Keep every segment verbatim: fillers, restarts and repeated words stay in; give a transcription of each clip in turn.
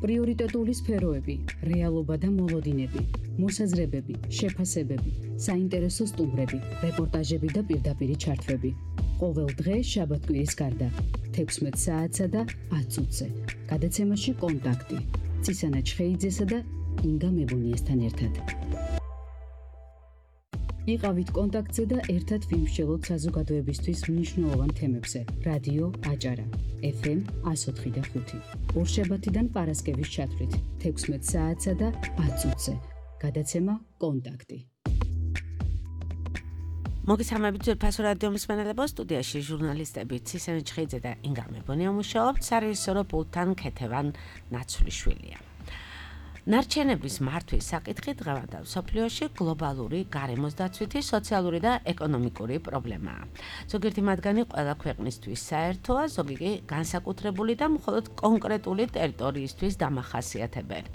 პრიორიტეტული სფეროები, რეალობა და მოლოდინები, მოსაზრებები, შეფასებები, საინტერესო სტუმრები, რეპორტაჟები და პირდაპირი ჩართვები. ყოველ დღე შაბათ-კვირის გარდა, თექვსმეტ საათსა და ათ წუთზე. გადაცემაში კონტაქტი. ცისანა ჩხეიძესა და ინგა მებუნიესთან ერთად. იყავით კონტაქტზე და ერთად ვიმსჯელოთ საზოგადოებისთვის მნიშვნელოვან თემებზე. რადიო აჭარა, ეფ ემ εκατო ოთხი და ხუთი. ორშაბათიდან პარასკევის ჩათვლით, თექვსმეტ საათსა და ათ წუთზე. გადაცემა კონტაქტი. მოგესალმებით ძვირფასო რადიო მსმენელებო, სტუდიაში ჟურნალისტები ცისანა ჩხეიძე და ინგა მებუნია მუშაობთ, სარეჟისორო პულტთან ქეთევან ნაცვლიშვილია. ნარჩენების მართვის საკითხი დღევანდელ მსოფლიოში გლობალური გარემოსდაცვითი, სოციალური და ეკონომიკური პრობლემაა. ზოგიერთი მათგანი ყველა ქვეყნისთვის საერთოა, ზოგი კი განსაკუთრებული და მხოლოდ კონკრეტული ტერიტორიისთვის დამახასიათებელი.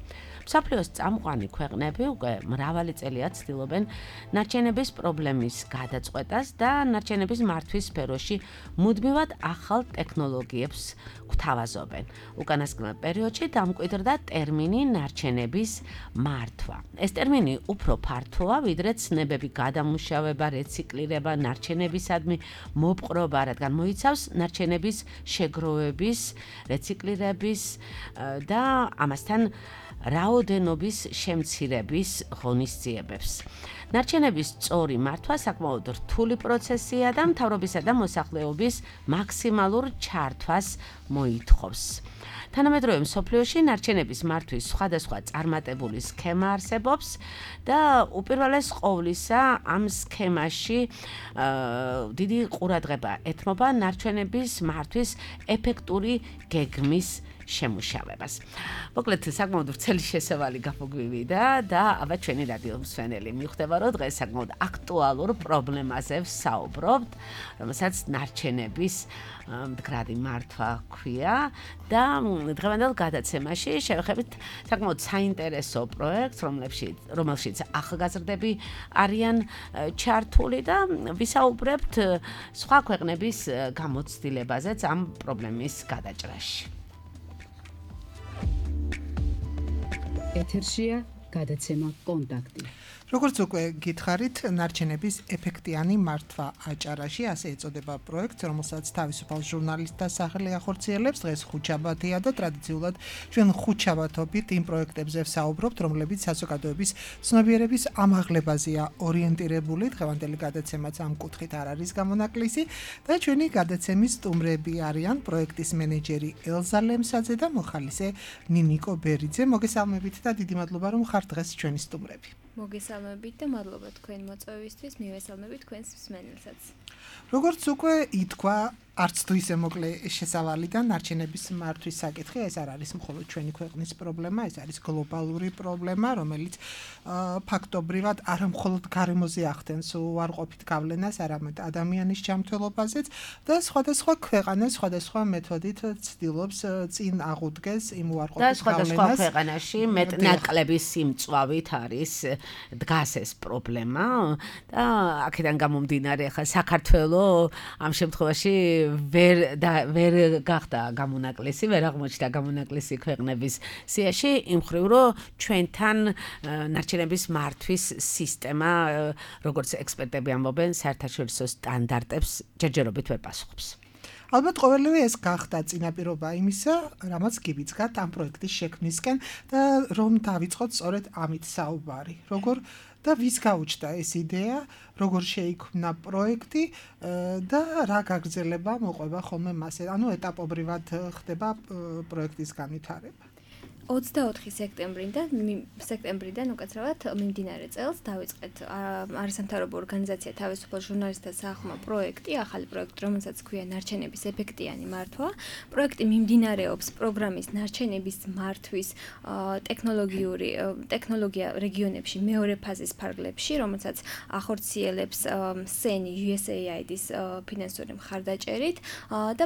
მსოფლიოს წამყვანი ქვეყნები უკვე მრავალი წელია ცდილობენ ნარჩენების პრობლემის გადაწყვეტას და ნარჩენების მართვის სფეროში მუდმივად ახალ ტექნოლოგიებს გვთავაზობენ. უკანასკნელ პერიოდში დამკვიდრდა ტერმინი ნარჩენების მართვა. ეს ტერმინი უფრო ფართოა, ვიდრე ცნებები, გადამუშავება, რეციკლირება, ნარჩენებისადმი მოპყრობა, რადგან მოიცავს ნარჩენების შეგროვების, რეციკლირების და ამასთან რაოდენობის შემცირების ღონისძიებებს. ნარჩენების სწორი მართვა საკმაოდ რთული პროცესია და მთავრობისა და მოსახლეობის მაქსიმალურ ჩართვას მოითხოვს. თანამედროვე მსოფლიოში ნარჩენების მართვის სხვადასხვა წარმატებული სქემა არსებობს და უპირველეს ყოვლისა ამ სქემაში დიდი ყურადღება ეთმობა ნარჩენების მართვის ეფექტური გეგმის შემუშავებას. მოკლედ საკმაოდ ვრცელი შესავალი გაგვივიდა და აბა ჩვენი რადიო მსმენელი მიხვდება, რომ დღეს საკმაოდ აქტუალურ პრობლემაზე ვსაუბრობთ, რომელსაც ნარჩენების მდგრადი მართვა ქვია და დღევანდელ გადაცემაში შევეხებით საკმაოდ საინტერესო პროექტს, რომელშიც რომელშიც ახალგაზრდები არიან ჩართული და ვისაუბრებთ სხვა ქვეყნების გამოცდილებაზეც ამ პრობლემის გადაჭრაში. ეთერშია გადაცემა კონტაქტი. როგორც უკვე გითხარით, ნარჩენების ეფექტიანი მართვა აჭარაში, ასე ეწოდება პროექტს, რომელსაც თავისუფალ ჟურნალისტთა სახელი ახორციელებს. დღეს ხუთშაბათია და ტრადიციულად ჩვენ ხუთშაბათობით იმ პროექტებზე ვსაუბრობთ, რომლებიც საზოგადოების ცნობიერების ამაღლებაზეა ორიენტირებული. დღევანდელი გადაცემაც ამ კუთხით არ არის გამონაკლისი და ჩვენი გადაცემის სტუმრები არიან პროექტის მენეჯერი ელზა ლემსაძე და მოხალისე ნინიკო ბერიძე. მოგესალმებით და დიდი მადლობა, რომ ხართ დღეს ჩვენი სტუმრები. მოგესალმებით და მადლობა თქვენ მოწვევისთვის, მივესალმებით თქვენს მსმენელსაც. როგორც უკვე ითქვა, არც თუ ისე მოკლე შესავალი და ნარჩენების მართვის საკითხი, ეს არ არის მხოლოდ ჩვენი ქვეყნის პრობლემა, ეს არის გლობალური პრობლემა, რომელიც ფაქტობრივად არა მხოლოდ გარემოზე ახდენს უარყოფით გავლენას, არამედ ადამიანის ჯანმრთელობაზეც და სხვადასხვა ქვეყანა სხვადასხვა მეთოდით ცდილობს წინ აღუდგეს იმ უარყოფით გავლენას. და სხვადასხვა ქვეყანაში მეტნაკლების სიმწვავით არის დგას ეს პრობლემა და აქედან გამომდინარე ხა საქართველოს ამ შემთხვევაში ვერ და ვერ გახდა გამონაკლისი, ვერ აღმოჩნდა გამონაკლისი ქვეყნების სიაში, იმ მხრივ რომ ჩვენთან ნარჩენების მართვის სისტემა, როგორც ექსპერტები ამბობენ, საერთაშორისო სტანდარტებს ჯერჯერობით ვერ პასუხობს. ალბათ ყოველივე ეს გახდა წინაპირობა იმისა, რამაც გიბიძგათ ამ პროექტის შექმნისკენ და რომ დავიწყოთ სწორედ ამით საუბარი. როგორ და ვის გაუჩნდა ეს იდეა, როგორ შეიქმნა პროექტი და რა გაგრძელება მოყვება ხოლმე მასე, ანუ ეტაპობრივად ხდება პროექტის განვითარება. ოცდაოთხი სექტემბრიდან სექტემბრიდან უკაცრავად მიმდინარე წელს დავიწყეთ არასამთავრობო ორგანიზაცია თავისუფალ ჟურნალისტთა სახმა პროექტი, ახალი პროექტი, რომელსაც ქვია ნარჩენების ეფექტიანი მართვა. პროექტი მიმდინარეობს პროგრამის ნარჩენების მართვის ტექნოლოგიური ტექნოლოგია რეგიონებში მეორე ფაზის ფარგლებში, რომელსაც ახორციელებს სენი იუ ეს ეი აი დის ფინანსური მხარდაჭერით და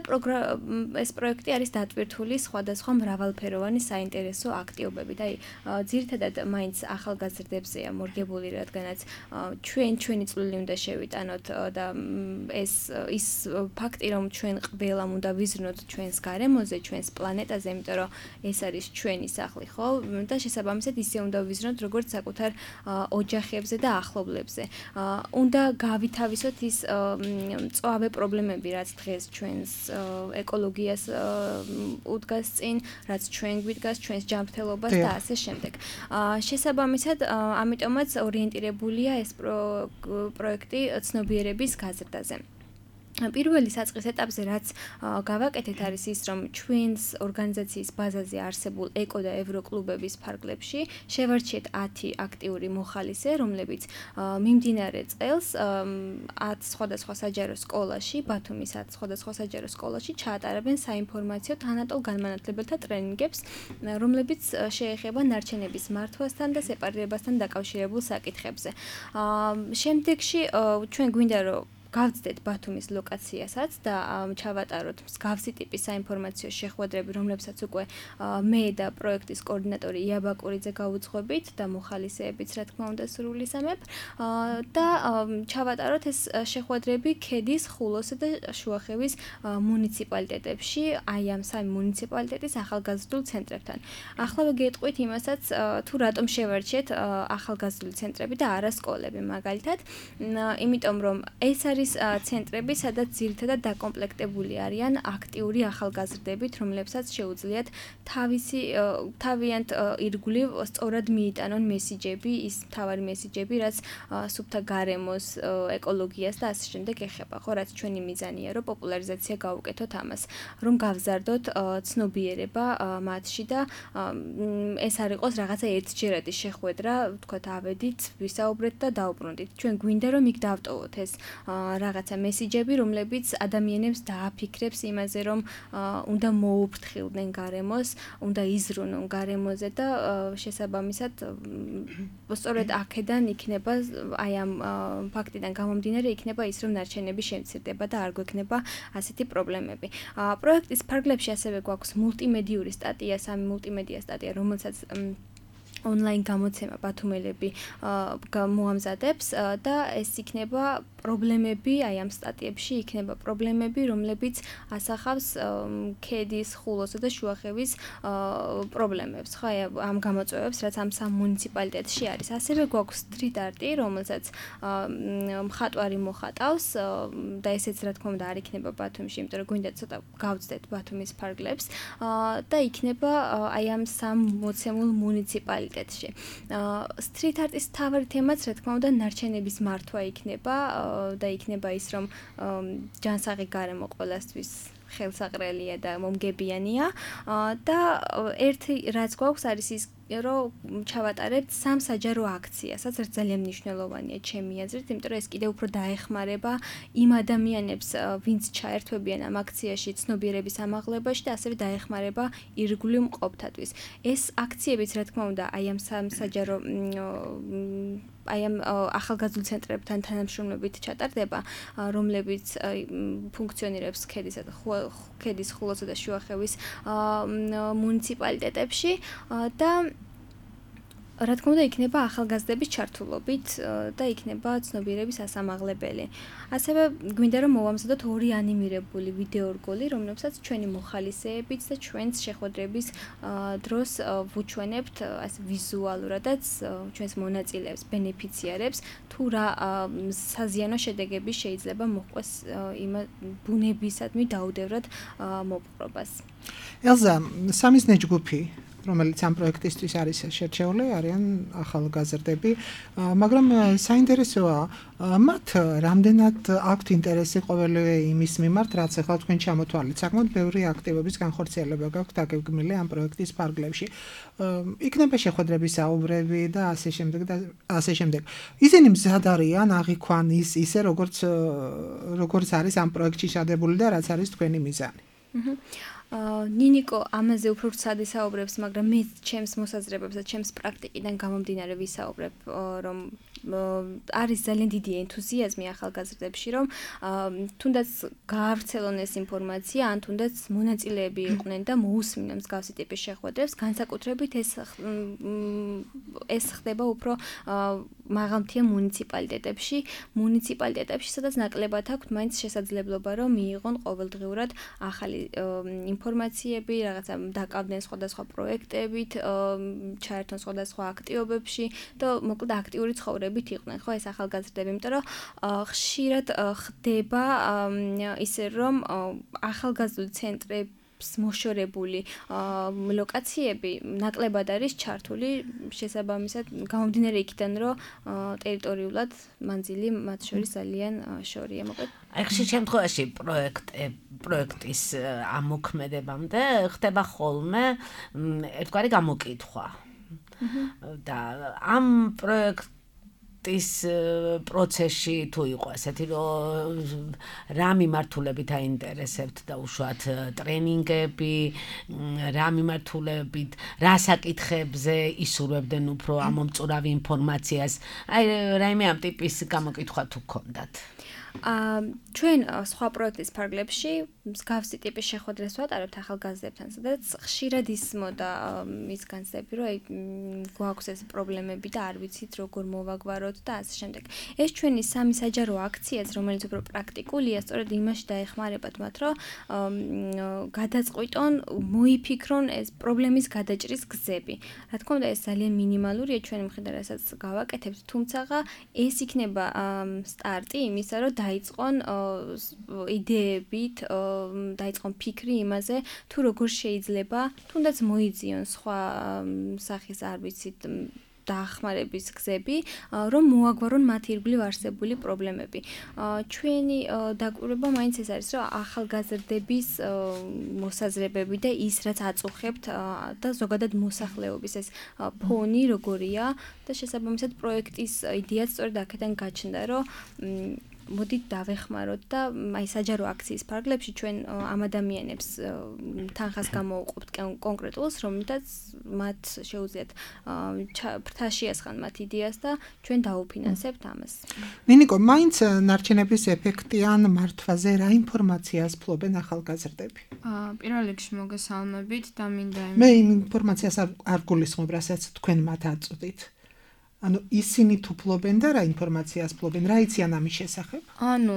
ეს პროექტი არის დატვირთული სხვადასხვა მრავალფეროვანი საინტერესო საინტერესო აქტივობები და აი ძირითადად მაინც ახალგაზრდებზეა მორგებული, რადგანაც ჩვენ ჩვენი წვლილი უნდა შევიტანოთ და ეს ის ფაქტი რომ ჩვენ ყველამ უნდა ვიზრნოთ ჩვენს გარემოზე, ჩვენს პლანეტაზე, იმიტომ რომ ეს არის ჩვენი სახლი, ხო? და შესაბამისად ისე უნდა ვიზრნოთ როგორც საკუთარ ოჯახებზე და ახლობლებზე. უნდა გავითავისოთ ის მწვავე პრობლემები, რაც დღეს ჩვენს ეკოლოგიას უდგას წინ, რაც ჩვენ გვიდგას ჩვენს ჯანმრთელობას და ასე შემდეგ. შესაბამისად, ამიტომაც ორიენტირებულია ეს პროექტი ცნობიერების გაზრდაზე. პირველი საწყის ეტაპზე რაც გავაკეთეთ არის ის რომ ჩვენს ორგანიზაციის ბაზაზე არსებულ ეკო და ევროკლუბების ფარგლებში შევარჩიეთ ათი აქტიური მოხალისე, რომლებიც მიმდინარე წელს ათ სხვადასხვა საჯარო სკოლაში, ბათუმის ათ სხვადასხვა საჯარო სკოლაში ჩაატარებენ საინფორმაციო თანატოლ განმანათლებელთა ტრენინგებს, რომლებიც შეეხება ნარჩენების მართვასთან და სეპარირებასთან დაკავშირებულ საკითხებზე. შემდეგში ჩვენ გვინდა რომ გავწდეთ ბათუმის ლოკაციასაც და ჩავატაროთ მსგავსი ტიპის საინფორმაციო შეხვედრები, რომლებსაც უკვე მე და პროექტის კოორდინატორი ია ბაკურიძე გავუძღვებით და მოხალისეებიც რა თქმა უნდა სრულისამებრ და ჩავატაროთ ეს შეხვედრები ქედის, ხულოს და შუახევის მუნიციპალიტეტებში, აი ამ სამი მუნიციპალიტეტის ახალგაზრდულ ცენტრებთან. ახლავე გეტყვით იმასაც, თუ რატომ შევარჩიეთ ახალგაზრდული ცენტრები და არა სკოლები, მაგალითად, იმიტომ რომ ეს არის ცენტრები, სადაც ძირითადად დაკომპლექტებული არიან აქტიური ახალგაზრდებით, რომლებსაც შეუძლიათ თავისი თავიანთ ირგვლივ სწორად მიიტანონ მესიჯები, ის მთავარი მესიჯები, რაც სუფთა გარემოს, ეკოლოგიას და ასე შემდეგ ეხება, ხო, რაც ჩვენი მიზანია, რომ პოპულარიზაცია გავუკეთოთ ამას, რომ გავზარდოთ ცნობიერება მათში და ეს არ იყოს რაღაცა ერთჯერადი შეხვედრა, ვთქვათ, ავედით, ვისაუბრეთ და დაუბრუნდით. ჩვენ გვინდა რომ იქ დავტოვოთ ეს რაღაცა მესიჯები, რომლებიც ადამიანებს დააფიქრებს იმაზე, რომ უნდა მოუფრთხილდნენ გარემოს, უნდა იზრუნონ გარემოზე და შესაბამისად სწორედ აქედან იქნება აი ამ ფაქტიდან გამომდინარე იქნება ის, რომ ნარჩენები შემცირდება და არ გვექნება ასეთი პრობლემები. პროექტის ფარგლებში ასევე გვაქვს მულტიმედიური სტატია, სამი მულტიმედია სტატია, რომელსაც ონლაინ გამოცემა ბათუმელები მოამზადებს და ეს იქნება პრობლემები, აი ამ სტატიებში იქნება პრობლემები, რომლებიც ასახავს ქედის, ხულოსა და შუახევის პრობლემებს, ხო, აი ამ გამოწვევებს, რაც ამ სამ მუნიციპალიტეტში არის. ასევე გვაქვს street art-ი, რომელსაც მხატვარი მოხატავს და ესეც რა თქმა უნდა არ იქნება ბათუმში, იმიტომ რომ გვინდა ცოტა გავწდეთ ბათუმის ფარგლებს და იქნება აი ამ სამ მოცემულ მუნიციპალიტეტში. street art-ის მთავარი თემაც რა თქმა უნდა ნარჩენების მართვა იქნება და იქნება ის რომ ჯანსაღი გარემო ყველასთვის ხელსაყრელია და მომგებიანია და ერთი რაც გვაქვს არის ის რომ ჩავატარებთ სამ საჯარო აქციას, რაც ძალიან მნიშვნელოვანია ჩემი აზრით, იმიტომ რომ ეს კიდევ უფრო დაეხმარება იმ ადამიანებს, ვინც ჩაერთვებიან ამ აქციაში ცნობიერების ამაღლებაში და ასევე დაეხმარება ირგვლივ მყოფთათვის. ეს აქციებიც რა თქმა უნდა აი ამ სამ საჯარო აი ამ ახალგაზრდულ ცენტრებთან თანამშრომლობით ჩატარდება, რომლებიც ფუნქციონირებს ქედისა და ქედის, ხულოსა და შუახევის მუნიციპალიტეტებში და რა თქმა უნდა იქნება ახალგაზრდების ჩართულობით და იქნება ცნობიერების ასამაღლებელი. ასევე გვინდა რომ მოვამზადოთ ორი ანიმირებული ვიდეორგოლი, რომლებსაც ჩვენი მოხალისეებიც და ჩვენს შეხვედრების დროს ვუჩვენებთ ასე ვიზუალურადაც ჩვენს მონაწილეებს, ბენეფიციარებს, თუ რა საზიანო შედეგები შეიძლება მოჰყვეს იმ ბუნებისადმი დაუდევრად მოპყრობას. ელზა, სამიზნე ჯგუფი რომელიც ამ პროექტისთვის არის შერჩეული, არიან ახალგაზრდები, მაგრამ საინტერესოა, მათ რამდენად აქვთ ინტერესი ყოველივე იმის მიმართ, რაც ახლა თქვენ ჩამოთვალეთ. საკმაოდ ბევრი აქტივობის განხორციელება გაქვთ დაგეგმილი ამ პროექტის ფარგლებში. იქნება შეხვედრების საუბრები და ასე შემდეგ და ასე შემდეგ. ისინი მზად არიან აღიქვან ის ისე როგორც როგორც არის ამ პროექტში შადებული და რაც არის თქვენი მიზანი. ნინიკო ამაზე უფრო ცად ისაუბრებს, მაგრამ მე ჩემს მოსაზრებებს და ჩემს პრაქტიკიდან გამომდინარე ვისაუბრებ, რომ არის ძალიან დიდი ენთუზიაზმი ახალგაზრდებში, რომ თუნდაც გაავრცელონ ეს ინფორმაცია, ან თუნდაც მონაწილეები იყვნენ და მოусმინონ მსგავსი ტიპის შეხვედრებს, განსაკუთრებით ეს ეს ხდება უფრო მაღალმთიან მუნიციპალიტეტებში, მუნიციპალიტეტებში, სადაც ნაკლებად აქვთ მაინც შესაძლებლობა, რომ მიიღონ ყოველდღიურად ახალი ინფორმაციები, რაღაცა დაკავდნენ სხვადასხვა პროექტებით, ჩაერთონ სხვადასხვა აქტივობებში და მოკლედ აქტიური ცხოვრებით იყვნენ, ხო, ეს ახალგაზრდები, იმიტომ რომ ხშირად ხდება ისე რომ ახალგაზრდული ცენტრები მოშორებული ლოკაციები ნაკლებად არის ჩართული შესაბამისად გამომდინარე იქიდან რომ ტერიტორიულად მანძილი მათ შორის ძალიან შორია მოკლედ აი ხშირ შემთხვევაში პროექტ პროექტის ამოქმედებამდე ხდება ხოლმე ერთგვარი გამოკითხვა და ამ პროექტ ის პროცესში თუ იყო ასეთი რომ რა მიმართულებით აინტერესებთ და უშუალოდ ტრენინგები რა მიმართულებით რა საკითხებზე ისურვებდნენ უფრო ამომწურავი ინფორმაციას აი რაიმე ამ ტიპის გამოკითხვა თუ გქონდათ აა ჩვენ სხვა პროექტის ფარგლებში მსგავსი ტიპის შეხვედრებს ვატარებთ ახალგაზრდებთან, სადაც ხშირად ისმოდა ის განცდები, რომ აი გვაქვს ეს პრობლემები და არ ვიცით როგორ მოვაგვაროთ და ასე შემდეგ. ეს ჩვენი სამი საჯარო აქციაც, რომელიც უფრო პრაქტიკულია, სწორედ იმაში დაეხმარებათ მათ, რომ გადაწყვიტონ, მოიფიქრონ ეს პრობლემის გადაჭრის გზები. რა თქმა უნდა, ეს ძალიან მინიმალურია ჩვენი მხრიდან, რასაც გავაკეთებთ, თუმცა ეს იქნება სტარტი იმისა, რომ დაიწყონ იდეებით, დაიწყონ ფიქრი იმაზე, თუ როგორ შეიძლება თუნდაც მოიძიონ სხვა სახის არ ვიცით დაახმარების გზები, რომ მოაგვარონ მათ ირგვლივ არსებული პრობლემები. ჩვენი დაკვირვება მაინც ეს არის, რომ ახალგაზრდების მოსაზრებები და ის, რაც აწუხებთ და ზოგადად მოსახლეობის ეს ფონი როგორია და შესაბამისად პროექტის იდეაც სწორედ აქედან გაჩნდა, რომ მოდით დავეხმაროთ და აი საჯარო აქციის ფარგლებში ჩვენ ამ ადამიანებს თანხას გამოვუყობთ კონკრეტულს, რომელთაც მათ შეუძლიათ ფრთაში ასხან მათ იდეას და ჩვენ დაუფინანსებთ ამას. ნინიკო, მაინც ნარჩენების ეფექტიან მართვაზე რა ინფორმაციას ფლობენ ახალგაზრდები? აა პირველ რიგში მოგესალმებით და მინდა მე იმ ინფორმაციას არ გულისხმობ, რასაც თქვენ მათ აწვდით. ანუ ისინი თუ ფლობენ და რა ინფორმაციას ფლობენ, რა იციან ამის შესახებ? ანუ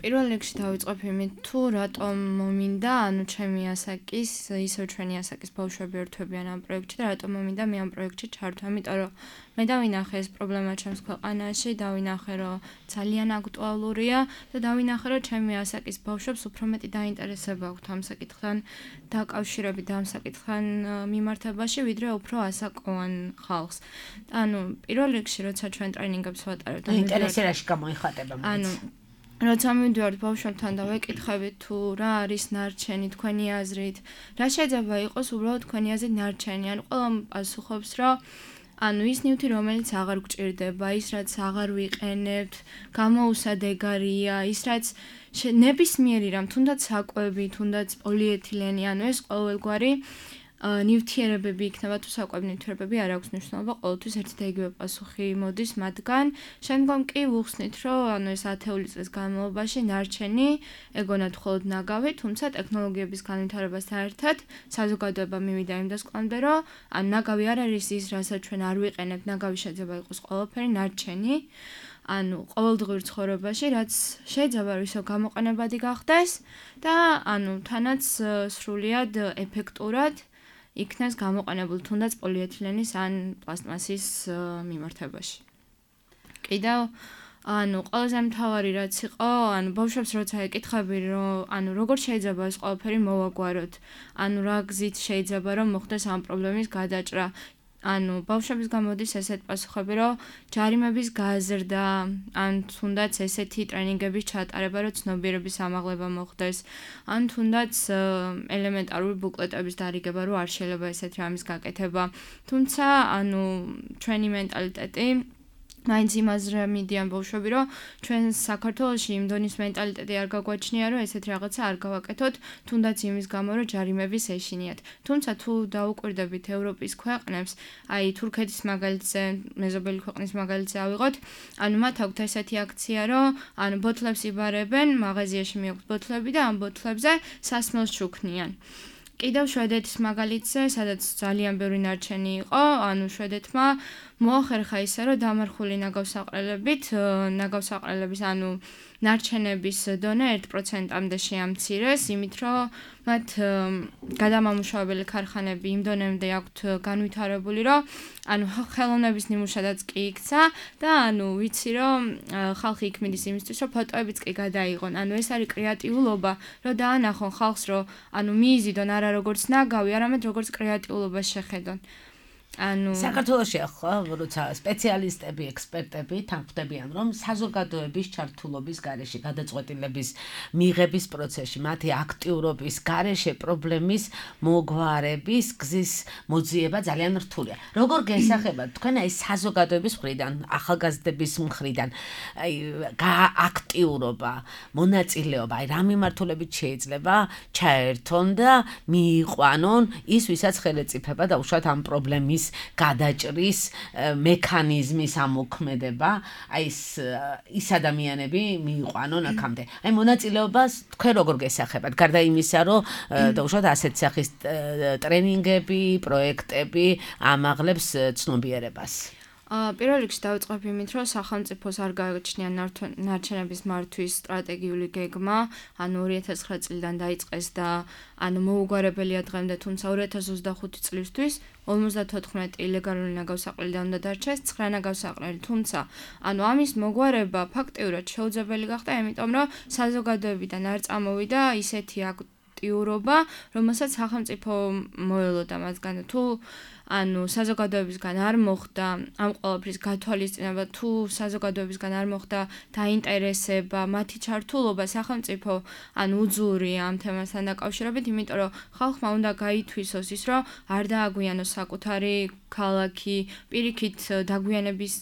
პირველ რიგში დავიწყებ იმით, თუ რატომ მომინდა, ანუ ჩემი ასაკის, ისევ ჩვენი ასაკის ბავშვები ერთვებიან ამ პროექტში და რატომ მომინდა მე ამ პროექტში ჩართვა, იმიტომ რომ მე დავინახე ეს პრობლემა ჩემს ქვეყანაში, დავინახე რომ ძალიან აქტუალურია და დავინახე რომ ჩემი ასაკის ბავშვებს უფრო მეტი დაინტერესება აქვთ ამ საკითხთან დაკავშირებით და ამ საკითხთან მიმართებაში, ვიდრე უფრო ასაკოვან ხალხს. ანუ პირველ რიგში როცა ჩვენ ტრენინგებს ვატარებთ, ინტერესი რაში გამოიხატება მაინც. ანუ როცა მივდივართ ბავშვებთან და ვეკითხებით თუ რა არის ნარჩენი თქვენი აზრით, რა შეიძლება იყოს უბრალოდ თქვენი აზრით ნარჩენი, ანუ ყველა პასუხობს რომ ანუ ის ნივთი რომელიც აღარ გვჭირდება, ის რაც აღარ ვიყენებთ, გამოუსადეგარია, ის რაც ნებისმიერი რამ, თუნდაც საკვები, თუნდაც პოლიეთილენი, ანუ ეს ყოველგვარი ნივთიერებები იქნება თუ საკვები ნივთიერებები არ აქვს მნიშვნელობა, ყოველთვის ერთი და იგივე პასუხი მოდის მათგან. შემდგომ კი ვუხსნით, რომ ანუ ეს ათეული წლის განმავლობაში ნარჩენი ეგონათ მხოლოდ ნაგავი, თუმცა ტექნოლოგიების განვითარებასთან ერთად საზოგადოება მივიდა იმ დასკვნამდე, რომ ანუ ნაგავი არ არის ის, რასაც ჩვენ არ ვიყენებთ, ნაგავი შეიძლება იყოს ყველაფერი, ნარჩენი ანუ ყოველდღიურ ცხოვრებაში, რაც შეიძლება რომ ისო გამოყენებადი გახდეს და ანუ თანაც სრულიად ეფექტურად იქნეს გამოყენებული თუნდაც პოლიეთილენის ან პლასტმასის მიმართებაში. კიდევ ანუ ყველაზე მთავარი რაც იყო, ანუ ბავშვებს როცა ეკითხები, რომ ანუ როგორ შეიძლება ეს ყველაფერი მოვაგვაროთ, ანუ რა გზით შეიძლება რომ მოხდეს ამ პრობლემის გადაჭრა. ანუ ბავშვების გამოდის ესეთ პასუხები, რომ ჯარიმების გაზრდა, ან თუნდაც ესეთი ტრენინგების ჩატარება, რომ ცნობიერების ამაღლება მოხდეს, ან თუნდაც ელემენტარული ბუკლეტების დარიგება, რომ არ შეიძლება ესეთი რამის გაკეთება. თუმცა, ანუ ჩვენი მენტალიტეტი მაინც იმაზე მიდიან ბავშვები, რომ ჩვენ საქართველოში იმ დონის მენტალიტეტი არ გაგვაჩნია, რომ ესეთ რაღაცა არ გავაკეთოთ, თუნდაც იმის გამო, რომ ჯარიმების ეშინიათ. თუმცა თუ დაუკვირდებით ევროპის ქვეყნებს, აი თურქეთის მაგალითზე, მეზობელი ქვეყნის მაგალითზე ავიღოთ, ანუ მათ აქვთ ესეთი აქცია, რომ ანუ ბოთლებს იბარებენ, მაღაზიაში მიაქვთ ბოთლები და ამ ბოთლებზე სასმელს ჩუქნიან. კიდევ შვედეთის მაგალითზე, სადაც ძალიან ბევრი ნარჩენი იყო, ანუ შვედეთმა მოახერხა ისე, რომ დამარხული ნაგავსაყრელებით, ნაგავსაყრელების, ანუ ნარჩენების დონე ერთ პროცენტამდე შეამცირეს, იმით რომ მათ გადამამუშავებელი ქარხანები იმ დონემდე აქვთ განვითარებული, რომ ანუ ხელოვნების ნიმუშადაც კი იქცა და ანუ ვიცი რომ ხალხი იქ მიდის იმისთვის, რომ ფოტოებიც კი გადაიღონ. ანუ ეს არის კრეატიულობა, რომ დაანახონ ხალხს, რომ ანუ მიიზიდონ არა როგორც ნაგავი, არამედ როგორც კრეატიულობას შეხედონ. ანუ საქართველოში ხო, როცა სპეციალისტები, ექსპერტები თანხმდებიან, რომ საზოგადოების ჩართულობის გარეშე, გადაწყვეტილების მიღების პროცესში, მათი აქტიურობის გარეშე პრობლემის მოგვარების გზის მოძიება ძალიან რთულია. როგორ გესახებათ თქვენ აი საზოგადოების მხრიდან, ახალგაზრდების მხრიდან, აი აქტიურობა, მონაწილეობა, აი რა მიმართულებით შეიძლება ჩაერთონ და მიიყვანონ ის, ვისაც ხელეწიფება და უშუალოდ ამ პრობლემის გადაჭრის მექანიზმის ამოქმედება, აი ის ის ადამიანები მიიყვანონ აქამდე. აი მონაწილეობას თქვენ როგორ გესახებათ? გარდა იმისა, რომ დაუშვათ ასეთ სახის ტრენინგები, პროექტები ამაღლებს ცნობიერებას. პირველ რიგში დავიწყებ იმით, რომ სახელმწიფოს არ გააჩნია ნარჩენების მართვის სტრატეგიული გეგმა, ანუ ორი ათას ცხრა წლიდან დაიწყეს და ანუ მოუგვარებელია დღემდე, თუმცა ორი ათას ოცდახუთი წლისთვის ორმოცდათოთხმეტი ილეგალური ნაგავსაყრელიდან უნდა დარჩეს ცხრა ნაგავსაყრელი, თუმცა ანუ ამის მოგვარება ფაქტიურად შეუძლებელი გახდა, იმიტომ რომ საზოგადოებიდან არ წამოვიდა ისეთი აქტიურობა, რომელსაც სახელმწიფო მოელოდა მასგან. თუ ანუ საზოგადოებისგან არ მოხდა ამ ყველაფრის გათვალისწინება, თუ საზოგადოებისგან არ მოხდა დაინტერესება, მათი ჩართულობა სახელმწიფო ანუ უძურია ამ თემასთან დაკავშირებით, იმიტომ რომ ხალხმა უნდა გაითვისოს ის, რომ არ დააგვიანოს საკუთარი ქალაქი, პირიქით დაგვიანების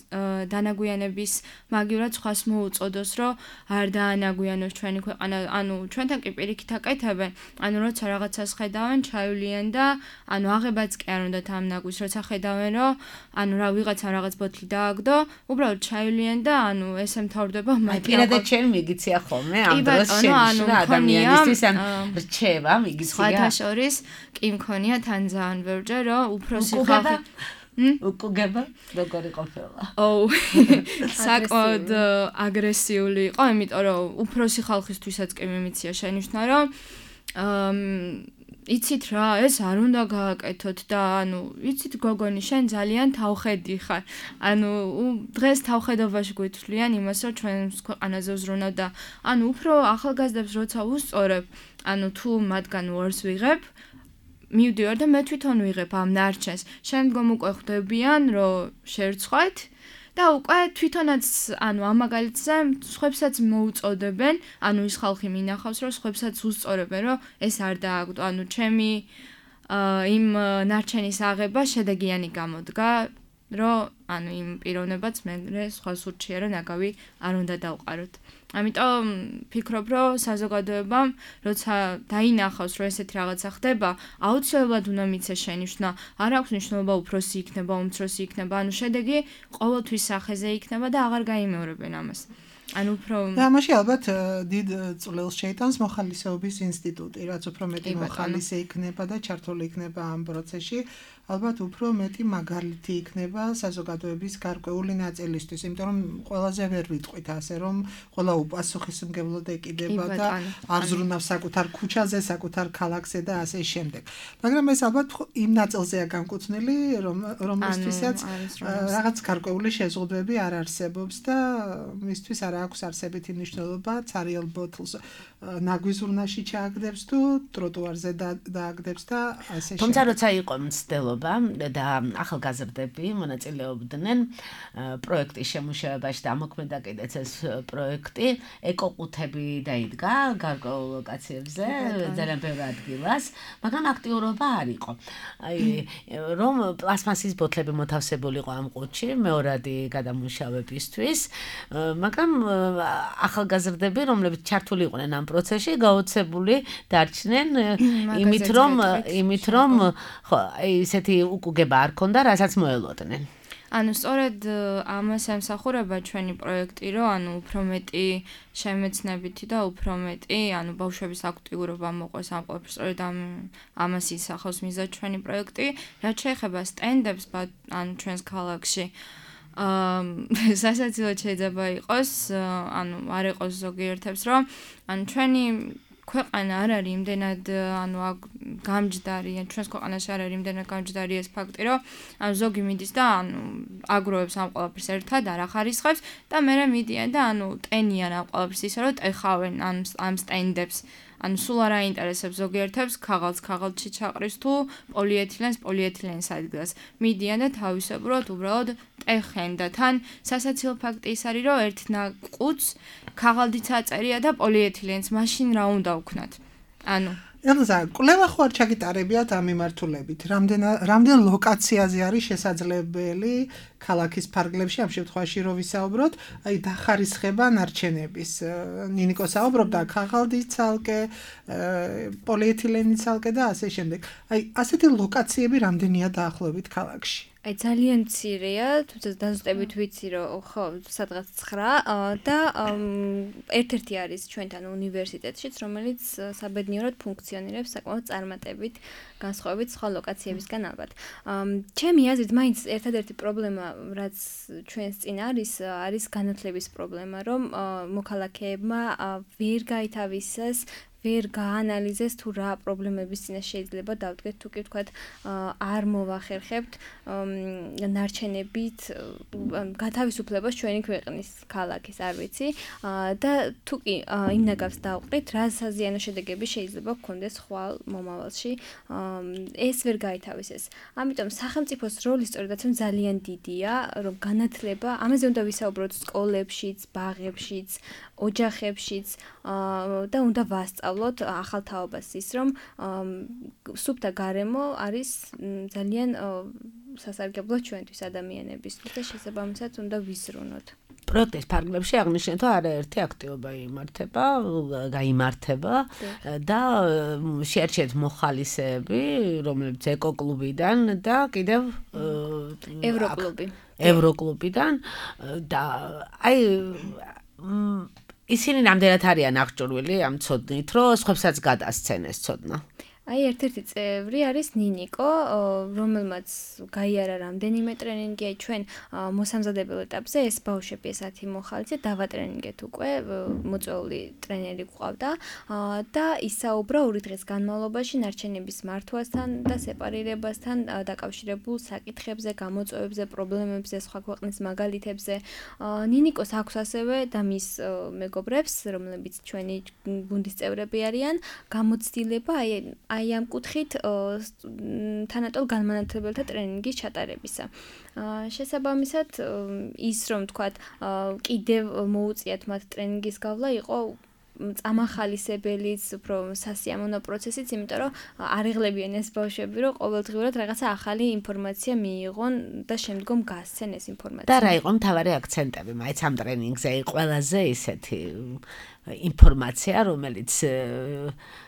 დანაგვიანების მაგივრად სხვას მოუწოდოს, რომ არ დაანაგვიანოს ჩვენი ქვეყანა, ანუ ჩვენთან კი პირიქით აკეთებენ, ანუ როცა რაღაცას ხედავენ, ჩაივლიან და ანუ აღებაც კი არ უნდათ ამ ნაგვის, როცა ხედავენ, რომ ანუ რა ვიღაცამ რაღაც ბოთლი დააგდო, უბრალოდ ჩაივლიან და ანუ ესე მთავრდება მაგ პირადად შენ მიგიცია ხოლმე ამ დროს შენ რა ადამიანისთვის ან რჩევა მიგიცია. სხვათა შორის კი მქონია თან ძალიან ბევრჯერ, რომ უფროსი ხალხი უკუგება როგორი ყოფილა? ოუ, საკმაოდ აგრესიული იყო, იმიტომ რომ უფროსი ხალხისთვისაც კი მიმიცია შენიშვნა, რომ იცით რა, ეს არ უნდა გააკეთოთ და ანუ იცით გოგონი, შენ ძალიან თავხედი ხარ. ანუ დღეს თავხედობაში გვითვლიან იმას, რომ ჩვენს ქვეყანაზე უზრუნავ და ანუ უფრო ახალგაზრდებს როცა უსწორებ, ანუ თუ მათგან უარს ვიღებ, მივდივარ და მე თვითონ ვიღებ ამ ნარჩენს. შემდგომ უკვე ხვდებიან, რომ შერცხვეთ და უკვე თვითონაც ანუ ამ მაგალითზე სხვებსაც მოუწოდებენ, ანუ ის ხალხი მინახავს, რომ სხვებსაც უსწორებენ, რომ ეს არ დააგდო, ანუ ჩემი იმ ნარჩენის აღება შედეგიანი გამოდგა, რომ ანუ იმ პიროვნებაც მე სხვას ურჩია, რომ ნაგავი არ უნდა დავყაროთ. ამიტომ ფიქრობ, რომ საზოგადოებამ, როცა დაინახავს, რომ ესეთი რაღაცა ხდება, აუცილებლად უნდა მიცეს შენიშვნა. არ აქვს მნიშვნელობა უფროსი იქნება, უმცროსი იქნება, ანუ შედეგი ყოველთვის სახეზე იქნება და აღარ გაიმეორებენ ამას. ანუ უფრო და ამაში ალბათ დიდ წვლილს შეიტანს მოხალისეობის ინსტიტუტი, რაც უფრო მეტი მოხალისე იქნება და ჩართული იქნება ამ პროცესში. ალბათ უფრო მეტი მაგალითი იქნება საზოგადოების გარკვეული ნაწილისთვის, იმიტომ რომ ყველაზე ვერ ვიტყვით ასე, რომ ყველა უპასუხისმგებლოდ ეკიდება და არ ზრუნავს საკუთარ ქუჩაზე, საკუთარ ქალაქზე და ასე შემდეგ. მაგრამ ეს ალბათ იმ ნაწილზეა განკუთვნილი, რომ რომელთვისაც რაღაც გარკვეული შეზღუდვები არ არსებობს და მისთვის არ აქვს არსებითი მნიშვნელობა ცარიელ ბოთლს ნაგვიზურნაში ჩააგდებს თუ ტროტუარზე დააგდებს და ასე შემდეგ. თუმცა როცა იყო მცდელობა და ახალგაზრდები მონაწილეობდნენ პროექტის შემუშავებაში და მოქმედა კიდეც ეს პროექტი ეკოყუთები დაიდგა გარკვეულ ლოკაციებზე ძალიან ბევრ ადგილას, მაგრამ აქტიურობა არ იყო. აი რომ პლასმასის ბოთლები მოთავსებული იყო ამ ყუთში მეორადი გადამუშავებისთვის, მაგრამ ახალგაზრდები, რომლებიც ჩართული იყვნენ ამ პროცესში, გაოცებული დარჩნენ იმით, რომ იმით, რომ ხო, ისეთი უკუგება არ ქონდა, რასაც მოელოდნენ. ანუ სწორედ ამას ემსახურება ჩვენი პროექტი, რომ ანუ უფრო მეტი შემეცნებითი და უფრო მეტი, ანუ ბავშვების აქტიურობა მოყვეს ამ ყველაფერს, სწორედ ამ ამას ისახავს მიზად ჩვენი პროექტი, რაც შეეხება სტენდებს, ანუ ჩვენს ქალაქში. აა სასაცილოდ შეიძლება იყოს, ანუ არ იყოს ზოგიერთებს, რომ ანუ ჩვენი ქვეყანა არ არის იმდენად ანუ გამჯდარი, ჩვენს ქვეყანაში არ არის იმდენად გამჯდარი ეს ფაქტი, რომ ანუ ზოგი მიდის და ანუ აგროვებს ამ ყველაფერს ერთად, არ ახარისხებს და მერე მიდიან და ანუ ტენიან ამ ყველაფერს ისე, რომ ტეხავენ ამ ამ სტენდებს. ანუ სულ არ აინტერესებს ზოგიერთებს ქაღალდს ქაღალდში ჩაყრის თუ პოლიეთილენს პოლიეთილენს ადგილას. მიდიან და თავისებურად უბრალოდ ტეხენ და თან სასაცილო ფაქტი ის არის, რომ ერთ ყუთს ქაღალდიც აწერია და პოლიეთილენს, მაშინ რა უნდა ვქნათ? ანუ ელზა, კვლევა ხო არ ჩაგიტარებიათ ამ მიმართულებით? რამდენ რამდენ ლოკაციაზე არის შესაძლებელი ქალაქის ფარგლებში ამ შემთხვევაში რო ვისაუბროთ, აი დახარისხება ნარჩენების. ნინიკო საუბრობდა ქაღალდის ცალკე, პოლიეთილენის ცალკე და ასე შემდეგ. აი ასეთი ლოკაციები რამდენია დაახლოებით ქალაქში? აი ძალიან მცირეა, თუმცა დაზუსტებით ვიცი, რომ ხო, სადღაც ცხრა და ერთ-ერთი არის ჩვენთან უნივერსიტეტშიც, რომელიც საბედნიეროდ ფუნქციონირებს საკმაოდ წარმატებით, განსხვავებით სხვა ლოკაციებისგან ალბათ. ჩემი აზრით, მაინც ერთადერთი პრობლემა, რაც ჩვენს წინ არის, არის განათლების პრობლემა, რომ მოქალაქეებმა ვერ გაითავისეს ვერ გაანალიზეს თუ რა პრობლემების წინაშე შეიძლება დავდგეთ, თუ კი ვთქვათ, არ მოვახერხებთ ნარჩენებით გათავისუფლებას ჩვენი ქვეყნის ქალაქის, არ ვიცი, და თუ კი იმ ნაგავს დავყრით, რა საზიანო შედეგები შეიძლება გქონდეს ხვალ მომავალში, ეს ვერ გაითავისეს. ამიტომ სახელმწიფოს როლი სწორედაც ძალიან დიდია, რომ განათლება, ამაზე უნდა ვისაუბროთ სკოლებშიც, ბაღებშიც, ოჯახებშიც და უნდა ვასწავლოთ ახალ თაობას ის, რომ სუფთა გარემო არის ძალიან სასარგებლო ჩვენთვის ადამიანებისთვის და შესაბამისად უნდა ვიზრუნოთ. პროექტის ფარგლებში აღნიშნეთ, რომ არაერთი აქტივობა იმართება, გაიმართება და შეარჩიეთ მოხალისეები, რომლებიც ეკოკლუბიდან და კიდევ ევროკლუბი. ევროკლუბიდან და აი ისინი რამდენად არიან აღჭურვილი ამ ცოდნით, რომ სხვებსაც გადასცენ ეს ცოდნა? აი ერთ-ერთი წევრი არის ნინიკო, რომელმაც გაიარა რამდენიმე ტრენინგი, აი ჩვენ მოსამზადებელ ეტაპზე ეს ბავშვები ეს ათი მოხალისე დავატრენინგეთ უკვე, მოწვეული ტრენერი გვყავდა და ისაუბრა ორი დღის განმავლობაში ნარჩენების მართვასთან და სეპარირებასთან დაკავშირებულ საკითხებზე, გამოწვევებზე, პრობლემებზე, სხვა ქვეყნის მაგალითებზე. ნინიკოს აქვს ასევე და მის მეგობრებს, რომლებიც ჩვენი გუნდის წევრები არიან, გამოცდილება აი აი ამ კუთხით თანატოლ განმანათლებელთა ტრენინგის ჩატარებისა. შესაბამისად ის რომ თქვათ კიდევ მოუწიათ მათ ტრენინგის გავლა იყო წამახალისებელიც, უფრო სასიამოვნო პროცესიც, იმიტომ რომ არიღლებიან ეს ბავშვები, რომ ყოველდღიურად რაღაცა ახალი ინფორმაცია მიიღონ და შემდგომ გასცენ ეს ინფორმაცია. და რა იყო მთავარი აქცენტები მაინც ამ ტრენინგზე? ყველაზე ისეთი ინფორმაცია, რომელიც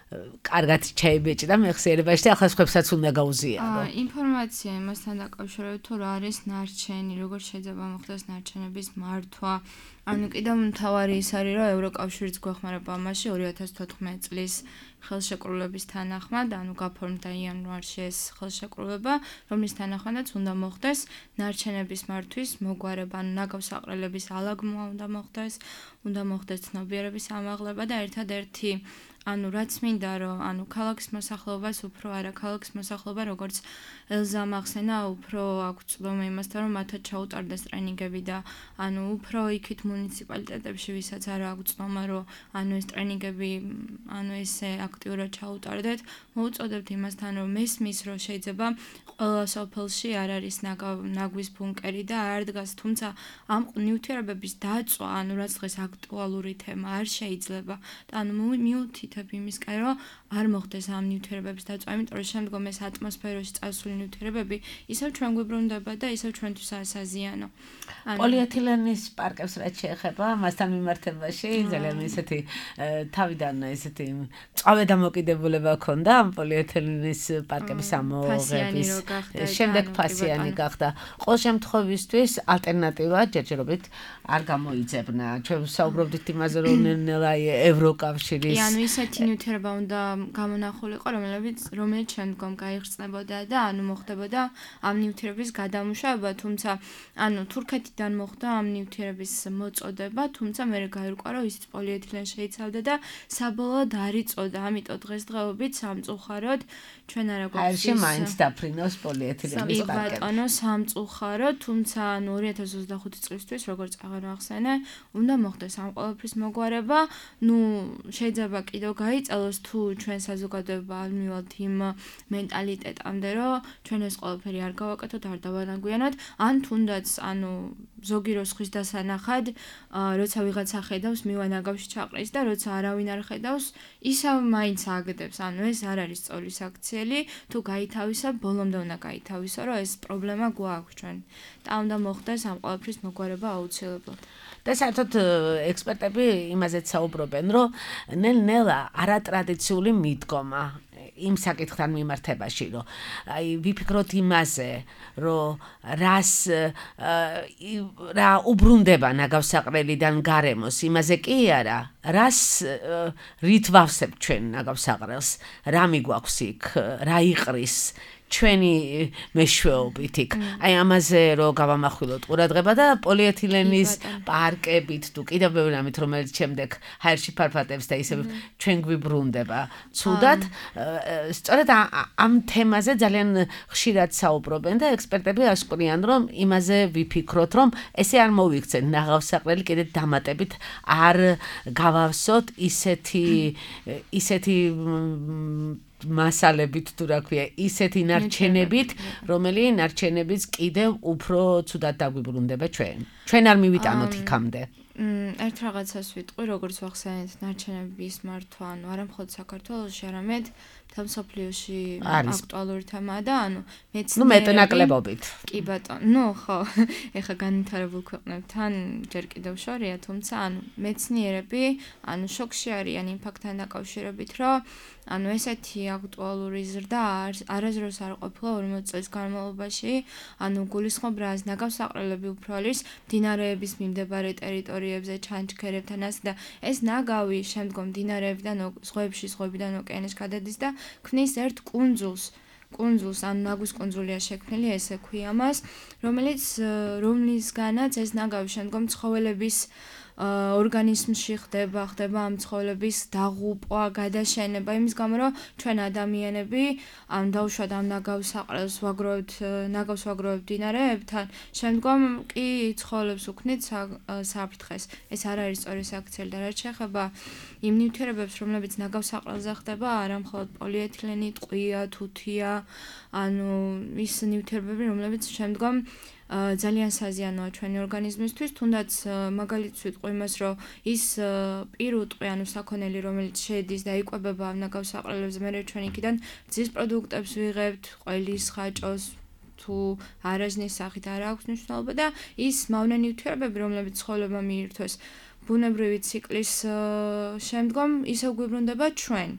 კარგად ჩაიბეჭდა მეხსიერებაში და ახლა სხვებსაც უნდა გაუზიარო. ინფორმაცია იმასთან დაკავშირებით, თუ რა არის ნარჩენი, როგორ შეიძლება მოხდეს ნარჩენების მართვა. ანუ კიდევ მთავარი ის არის, რომ ევროკავშირიც გვეხმარება ამაში ორი ათას თოთხმეტი წლის ხელშეკრულების თანახმად, ანუ გაფორმდა იანვარში ეს ხელშეკრულება, რომლის თანახმადაც უნდა მოხდეს ნარჩენების მართვის მოგვარება, ანუ ნაგავსაყრელების ალაგმა უნდა მოხდეს, უნდა მოხდეს ცნობიერების ამაღლება და ერთადერთი ანუ რაც მინდა რომ ანუ ქალაქის მოსახლეობას უფრო არა ქალაქის მოსახლეობა როგორც ელზა მახსენა უფრო აქვს წვდომა იმასთან რომ მათაც ჩაუტარდეს ტრენინგები და ანუ უფრო იქით მუნიციპალიტეტებში ვისაც არა აქვს წვდომა რომ ანუ ეს ტრენინგები ანუ ესე აქტიურად ჩაუტარდეთ მოუწოდებთ იმასთან რომ მესმის რომ შეიძლება ყველა სოფელში არ არის ნაგვის ბუნკერი და არ დგას თუმცა ამ ნივთიერებების დაწვა ანუ რაც დღეს აქტუალური თემა არ შეიძლება და ანუ მიუთითებ იმისკენ რომ არ მოხდეს ამ ნივთიერებების დაწვა იმიტომ რომ შემდგომ ეს ატმოსფეროში წასული ნივთიერებები ისევ ჩვენ გვიბრუნდება და ისევ ჩვენთვის ასაზიანო პოლიეთილენის პარკებს რაც შეეხება მასთან მიმართებაში ძალიან ისეთი თავიდან ისეთი წავე დამოკიდებულება ჰქონდა ამ პოლიეთილენის პარკების ამოღების შემდეგ ფასიანი გახდა ყოველ შემთხვევისთვის ალტერნატივა ჯერჯერობით არ გამოიძებნა ჩვენ საუბრობდით იმაზე რომ ნელა ევროკავშირის კი ანუ ისეთი ნივთიერება უნდა გამონახულიყო რომელიც რომელიც შემდგომ გაიხსნებოდა და ანუ მოხდებოდა ამ ნივთიერების გადამუშავება თუმცა ანუ თურქეთიდან მოხდა ამ ნივთიერების მოწოდება თუმცა მე გაირკვა რომ ის პოლიეთილენი შეიცავდა და საბოლოოდ არ იწოდა ამიტომ დღესდღეობით სამწუხაროდ ჩვენ არა გვაქვს ის მაინც დაფრინოს პოლიეთილენის პარკები ბატონო სამწუხაროდ თუმცა ანუ ორი ათას ოცდახუთი წლისთვის როგორც აღარ ახსენე უნდა მოხდეს ამ ყველაფრის მოგვარება ნუ შეიძლება კიდევ გაიწელოს თუ ჩვენ საზოგადოება არ მივალთ იმ მენტალიტეტამდე რომ ჩვენ ეს ყველაფერი არ გავაკეთოთ არ დავანაგვიანოთ ან თუნდაც ანუ ზოგი როსხვის დასანახად როცა ვიღაცა ხედავს მივანაგავში ჩაყრის და როცა არავინ არ ხედავს ისევ მაინც აგდებს ანუ ეს არ არის სწორი საქციელი თუ გაითავისა ბოლომდე უნდა გაითავისო რომ ეს პრობლემა გვაქვს ჩვენ და უნდა მოხდეს ამ ყველაფრის მოგვარება აუცილებლად და საერთოდ ექსპერტები იმაზეც საუბრობენ რომ ნელ-ნელა არატრადიციული მიდგომა იმ საკითხთან მიმართებაში რომ აი ვიფიქროთ იმაზე რომ რას რა უბრუნდება ნაგავსაყრელიდან გარემოს იმაზე კი არა რას რით ვავსებთ ჩვენ ნაგავსაყრელს რა მიგვაქვს იქ რა იყრის ჩვენი მეშვეობით იქ. აი ამაზე რომ გავამახვილოთ ყურადღება და პოლიეთილენის პარკებით თუ კიდევ ბევრი რამით რომელიც შემდეგ ჰაერში ფარფატებს და ისე ჩვენ გვიბრუნდება. ცუდად სწორედ ამ თემაზე ძალიან ხშირად საუბრობენ და ექსპერტები ასკვნიან რომ იმაზე ვიფიქროთ რომ ესე არ მოვიქცენ ნაღავსაყრელი კიდე დამატებით არ გავავსოთ ისეთი ისეთი მასალებით თუ რა ქვია ისეთი ნარჩენებით რომელიც ნარჩენებიც კიდევ უფრო ცუდად დაგვიბრუნდება ჩვენ ჩვენ არ მივიტანოთ იქამდე ერთ რაღაცას ვიტყვი როგორც ვახსენეთ ნარჩენების მართვა ანუ არა მხოლოდ საქართველოში არამედ მთელ მსოფლიოში აქტუალური თემაა და ანუ მეცნიერები ნუ მეტნაკლებობით კი ბატონო ნუ ხო ეხა განვითარებულ ქვეყნებთან ჯერ კიდევ შორია თუმცა ანუ მეცნიერები ანუ შოკში არიან იმ ფაქტთან დაკავშირებით რომ ანუ ესეთი აქტუალური ზრდა არასდროს არ ყოფილა ორმოც წლის განმავლობაში ანუ გულისხმობ რას ნაგავსაყრელები უფრო არის მდინარეების მიმდებარე ტერიტორიებზე ჩანჩქერებთან ასე და ეს ნაგავი შემდგომ მდინარეებიდან ზღვებში ზღვებიდან ოკეანეში გადადის და ქმნის ერთ კუნძულს კუნძულს ან ნაგვის კუნძულია შექმნილი ესე ქვია მას რომელიც რომლისგანაც ეს ნაგავი შემდგომ ცხოველების ორგანიზმში ხდება, ხდება ამ ცხოველების დაღუპვა, გადაშენება, იმის გამო რომ ჩვენ ადამიანები ამ დაუშვათ ამ ნაგავსაყრელს ვაგროვებთ, ნაგავს ვაგროვებთ მდინარეებთან, შემდგომ კი ცხოველებს უქმნით საფრთხეს. ეს არ არის სწორი საქციელი და რაც შეეხება იმ ნივთიერებებს, რომლებიც ნაგავსაყრელზე ხდება, არა მხოლოდ პოლიეთილენი, ტყვია, თუთია, ანუ ის ნივთიერებები, რომლებიც შემდგომ ძალიან საზიანოა ჩვენი ორგანიზმისთვის, თუნდაც მაგალითს ვიტყვი იმას, რომ ის პირუტყვი, ანუ საქონელი, რომელიც შედის და იკვებება ამ ნაგავსაყრელებზე, მე ჩვენ იქიდან ძის პროდუქტებს ვიღებთ, ყველის, ხაჭოს თუ არაჟნის სახით არ აქვს მნიშვნელობა და ის მავნე ნივთიერებები, რომლებიც ცხოველებმა მიირთვეს ბუნებრივი ციკლის შემდგომ ისევ გვიბრუნდება ჩვენ.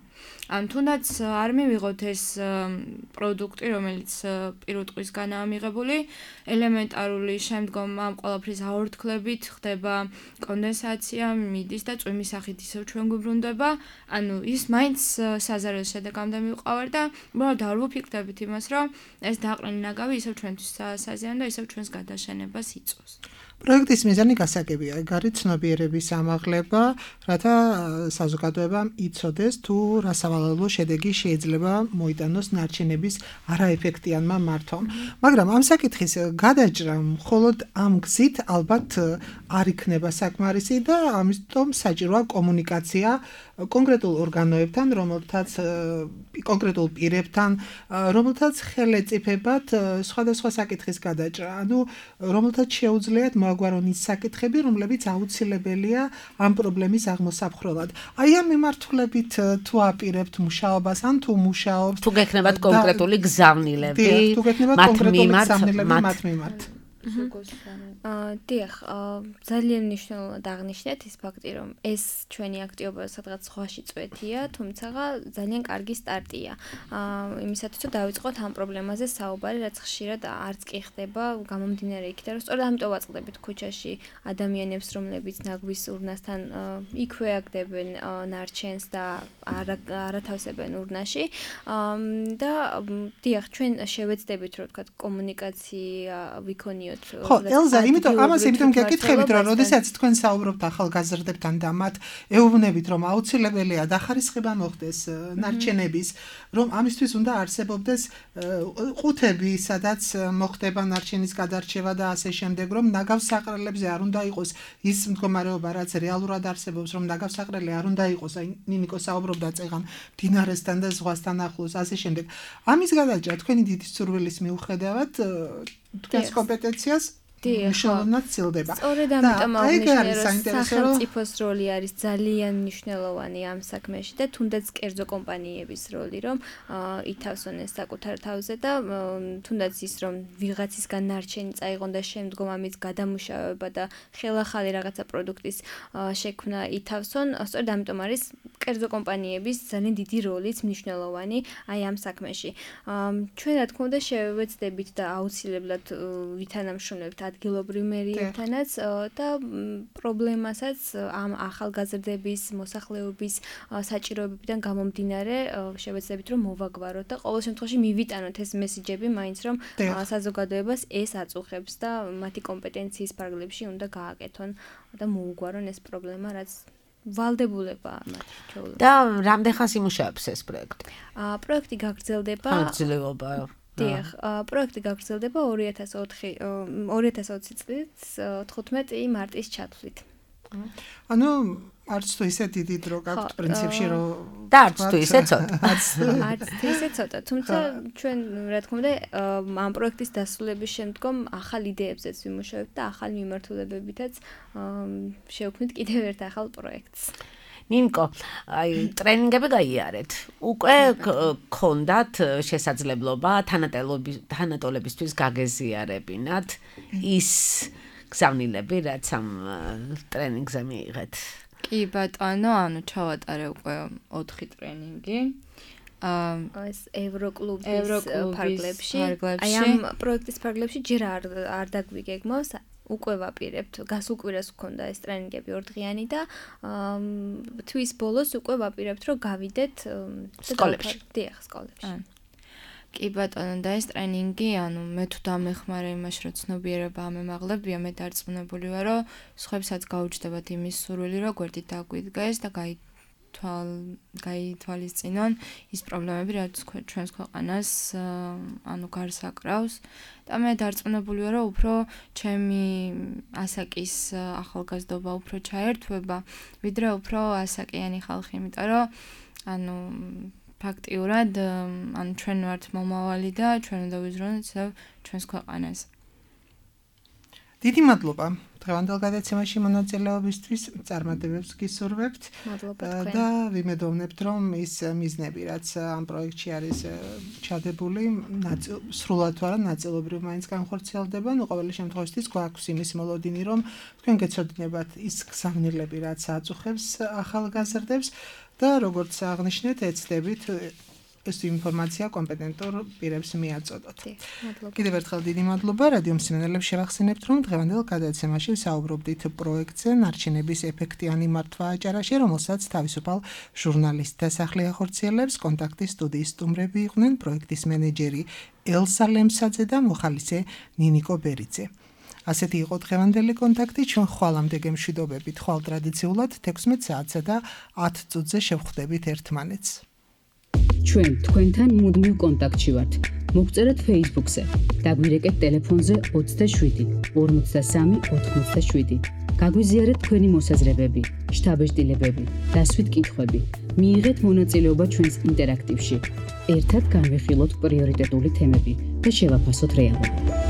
ან თუნდაც არ მივიღოთ ეს პროდუქტი, რომელიც პირველ დღისგანაა მიღებული, ელემენტარული შემდგომ ამ ყველაფრის აორთქლებით ხდება კონდენსაცია, მიდის და წვიმის სახით ისევ ჩვენ გვიბრუნდება. ანუ ის მაინც საზარელ შედეგამდე მივყავარ და უბრალოდ არ ვუფიქრდებით იმას, რომ ეს დაყრენი ნაგავი ისევ ჩვენთვის საზიანო და ისევ ჩვენს გადაშენებას იწვევს. პროექტის მიზანი გასაგებია, ეგ არის ცნობიერების ამაღლება, რათა საზოგადოებამ იცოდეს თუ რა სავალალო შედეგი შეიძლება მოიტანოს ნარჩენების არაეფექტიანმა მართვამ. მაგრამ ამ საკითხის გადაჭრა მხოლოდ ამ გზით ალბათ არ იქნება საკმარისი და ამიტომ საჭიროა კომუნიკაცია კონკრეტულ ორგანოებთან, რომელთაც კონკრეტულ პირებთან, რომელთაც ხელეწიფებათ სხვადასხვა საკითხის გადაჭრა, ანუ რომელთაც შეუძლიათ მოაგვარონ ის საკითხები, რომლებიც აუცილებელია ამ პრობლემის აღმოსაფხრელად. აი ამ მიმართულებით თუ აპირებთ მუშაობას, ან თუ მუშაობთ, თუ გექნებათ კონკრეტული გზავნილები, თუ გექნებათ კონკრეტული გზავნილები მათ მიმართ. აა დიახ, ძალიან მნიშვნელოვნად აღნიშნეთ ის ფაქტი, რომ ეს ჩვენი აქტივობა სადღაც სხვაში წვეთია, თუმცა ძალიან კარგი სტარტია. აა იმისათვის რომ დავიწყოთ ამ პრობლემაზე საუბარი, რაც ხშირად არც კი ხდება, გამომდინარე იქიდან, რომ სწორედ ამიტომ ვაწყდებით ქუჩაში ადამიანებს, რომლებიც ნაგვის ურნასთან იქვე აგდებენ ნარჩენს და არათავსებენ ურნაში. და დიახ, ჩვენ შევეცდებით, რომ ვთქვათ, კომუნიკაცია ვიქონიოთ. ხო, ელზა, იმიტომ ამას იმიტომ გეკითხებით, რომ როდესაც თქვენ საუბრობთ ახალგაზრდებთან და მათ ეუბნებით, რომ აუცილებელია დახარისხება მოხდეს ნარჩენების, რომ ამისთვის უნდა არსებობდეს ყუთები, სადაც მოხდება ნარჩენის გადარჩევა და ასე შემდეგ, რომ ნაგავსაყრელებზე არ უნდა იყოს ის მდგომარეობა, რაც რეალურად არსებობს, რომ ნაგავსაყრელი არ უნდა იყოს, აი ნინიკო საუბრობდა წეგან მდინარესთან და ზღვასთან ახლოს, ასე შემდეგ. ამის გადაჭრა თქვენი დიდი სურვილის მიუხედავად თქვენს კომპეტენციას მნიშვნელოვნად ცილდება. სწორედ ამიტომ აღნიშნე, რომ სახელმწიფოს როლი არის ძალიან მნიშვნელოვანი ამ საქმეში და თუნდაც კერძო კომპანიების როლი, რომ ითავსონ ეს საკუთარ თავზე და თუნდაც ის, რომ ვიღაცისგან ნარჩენი წაიღონ და შემდგომ ამის გადამუშავება და ხელახალი რაღაცა პროდუქტის შექმნა ითავსონ, სწორედ ამიტომ არის კერძო კომპანიების ძალიან დიდი როლიც მნიშვნელოვანი აი ამ საქმეში. ჩვენ რა თქმა უნდა შევეცდებით და აუცილებლად ვითანამშრომლებთ ადგილობრივ მერიებთანაც და პრობლემასაც ამ ახალგაზრდების მოსახლეობის საჭიროებებიდან გამომდინარე შევეცდებით რომ მოვაგვაროთ და ყოველ შემთხვევაში მივიტანოთ ეს მესიჯები მაინც რომ საზოგადოებას ეს აწუხებს და მათი კომპეტენციის ფარგლებში უნდა გააკეთონ და მოუგვარონ ეს პრობლემა რაც ვალდებულებაა მათი ჩვეულებრივ. და რამდენ ხანს იმუშავებს ეს პროექტი? აა პროექტი გაგრძელდება გაგრძელება დიახ, პროექტი გაგრძელდება ორი ათას ოცი წლის თხუთმეტი მარტის ჩათვლით. ანუ არც თუ ისე დიდი დრო გაქვთ პრინციპში რომ და არც თუ ისე ცოტა. არც თუ ისე ცოტა, თუმცა ჩვენ რა თქმა უნდა ამ პროექტის დასრულების შემდგომ ახალ იდეებზეც ვიმუშავებთ და ახალ მიმართულებებითაც შევქმნით კიდევ ერთ ახალ პროექტს. ნინკო, აი ტრენინგები გაიარეთ. უკვე გქონდათ შესაძლებლობა თანატოლებისთვის გაგეზიარებინათ ის გზავნილები, რაც ამ ტრენინგზე მიიღეთ. კი ბატონო, ანუ ჩავატარე უკვე ოთხი ტრენინგი. აა ეს ევროკლუბის ფარგლებში. აი ამ პროექტის ფარგლებში ჯერ არ არ დაგვიგეგმავს უკვე ვაპირებთ, გასულ კვირას გქონდა ეს ტრენინგები ორდღიანი და თვის ბოლოს უკვე ვაპირებთ, რომ გავიდეთ სკოლებში. დიახ, სკოლებში. კი ბატონო, და ეს ტრენინგი, ანუ მე თუ დამეხმარე იმაში, რომ ცნობიერება ამემაღლებია, მე დარწმუნებული ვარ, რომ სხვებსაც გაუჩნდებათ იმის სურვილი, რომ გვერდით დაგვიდგეს და გაითვალ გაითვალისწინონ ის პრობლემები, რაც ჩვენს ქვეყანას ანუ გარს აკრავს. და მე დარწმუნებული ვარ, რომ უფრო ჩემი ასაკის ახალგაზრდობა უფრო ჩაერთვება, ვიდრე უფრო ასაკიანი ხალხი, იმიტომ რომ ანუ ფაქტიურად ანუ ჩვენ ვართ მომავალი და ჩვენ უნდა ვიზრუნოთ ჩვენს ქვეყანას. დიდი მადლობა დღევანდელ გადაცემაში მონაწილეობისთვის, წარმატებებს გისურვებთ და ვიმედოვნებთ, რომ ის მიზნები, რაც ამ პროექტში არის ჩადებული, სრულად თუ არა ნაწილობრივ მაინც განხორციელდება. ნუ ყოველი შემთხვევაში გვაქვს იმის მოლოდინი, რომ თქვენ გეცოდინებათ ის გზავნილები, რაც აწუხებს ახალგაზრდებს და როგორც აღნიშნეთ, ეცდებით ეს ინფორმაცია კომპეტენტურ პირებს მიაწოდოთ. კიდევ ერთხელ დიდი მადლობა. რადიო მსმენელებს შევახსენებთ, რომ დღევანდელ გადაცემაში ვსაუბრობდით პროექტზე ნარჩენების ეფექტიანი მართვა აჭარაში, რომელსაც თავისუფალ ჟურნალისტთა სახლი ახორციელებს. კონტაქტის სტუდიის სტუმრები იყვნენ პროექტის მენეჯერი ელსა ლემსაძე და მოხალისე ნინიკო ბერიძე. ასეთი იყო დღევანდელი კონტაქტი. ჩვენ ხვალამდე გემშვიდობებით, ხვალ ტრადიციულად თექვსმეტ საათსა და ათ წუთზე შევხვდებით ერთმანეთს. ჩვენ თქვენთან მუდმივ კონტაქტში ვართ. მოგწერეთ Facebook-ზე, დაგვირეკეთ ტელეფონზე ოცდაშვიდი ორმოცდასამი ოთხმოცდაშვიდი. გაგვიზიარეთ თქვენი მოსაზრებები, შთაბეჭდილებები, დასვით კითხვები. მიიღეთ მონაწილეობა ჩვენს ინტერაქტივში. ერთად განვიხილოთ პრიორიტეტული თემები და შევაფასოთ რეალობა.